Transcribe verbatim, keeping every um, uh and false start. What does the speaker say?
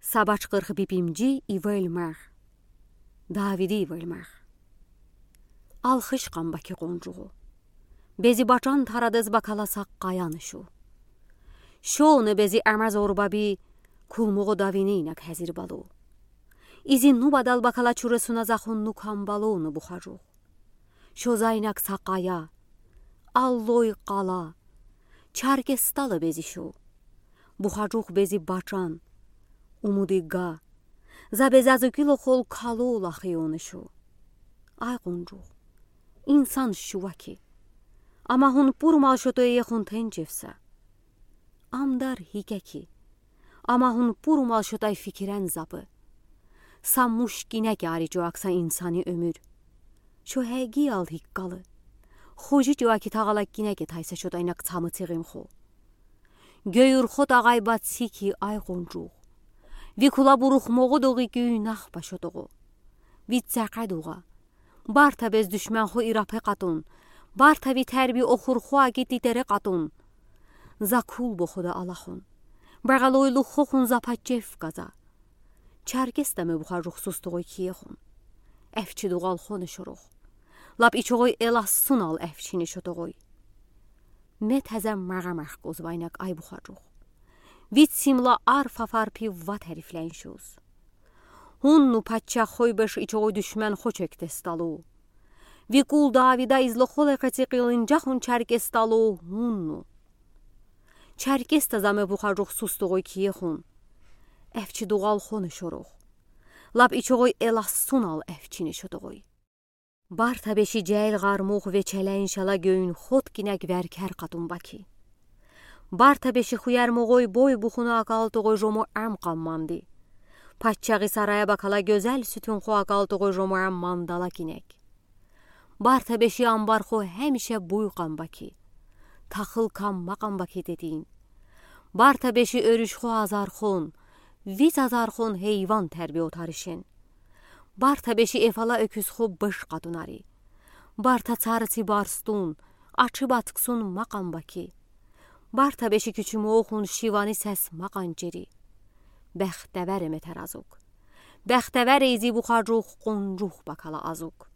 Са бачкъырх бипимжи ивель мег. Давиди ивель мег. Алхыш къан баки, къонжугъу. Бези бачан тарадез бакала са къаяны шу. Шону бези амаз орбаби кулмугъу давини инаг хазир балу. Изи ну бадал бакала чурасуна захун ну камбалуну, Бухажугъ. Шо за инаг са къая, аллой къала, Черкессталы бези шу. Бухажугъ, бези бачан, умуди га, за безазукило хол калу лахиону шу. Ай къонжугъ, инсан шу ваки. Ама хун пурмал шотой хун тенчевса. Амдар гикеки. Ама хун пурмал шотай фикирен запы. Са муш гинеки ари чуакса инсани оьмуьр. Шо гегиял гиккалы. Хожи чуаки тагъала гинеки тайса шотай инаг цамы цигим ху. Гёюрхо тагъай бацики, ай къонжугъ. Ви кула бурух могъу дугъи гюйнах ба шотогъу. Ви цакъа дугъа. Барта без душман ху ирапе къатун. Барта ви терби охур ху аги титере къатун. За кул бохуда алахун. Багъалойлу хохун за пачев каза. Черкесста ме Бухажугъ сустугъуй киехун. Эфчи дугъал хону шоругъ. Лап ичогъуй элас сунал эфчини шотогъуй. Ме таза магъа мехкуз вайнак, ай Бухажугъ. Вид симла арф афар пи ва тарифлянь шуз. Хунну паччах хой беш ичогъуй душман хо чекте сталу. Ви кул Давида изло холе къеци къилынджахун Черкессталу хунну. Черкесста за ме Бухажугъ сустугъуй киехун. Эфчи дугъал хону шоругъ. Лап ичогъуй элас сунал эфчини шотогъуй. Барта беши жел гъармух ве челен шала гёюн хот гинек веркер къатун баки. Барта беши хуяр могъуй бой бухуна акал тогъуй жому ам къамманди. Паччагъи сарая бакала гёзел сютюн ху акал тогъуй жому ам мандала гинек. Барта беши амбар ху хемише буй къан баки. Тахыл камма къан баки дедин. Барта беши оьрюш ху азархон, виз азархон гейван терби отаришен. Барта беши эфала оькюз ху быш къатунари. Барта царыци барстун, ачы батксун макъан баки. Барта беши кючюмохун шивани сес макъан чери. Бехтевер эметер азук. Бехтевер эйзи Бухажугъ къунжух бакала азук.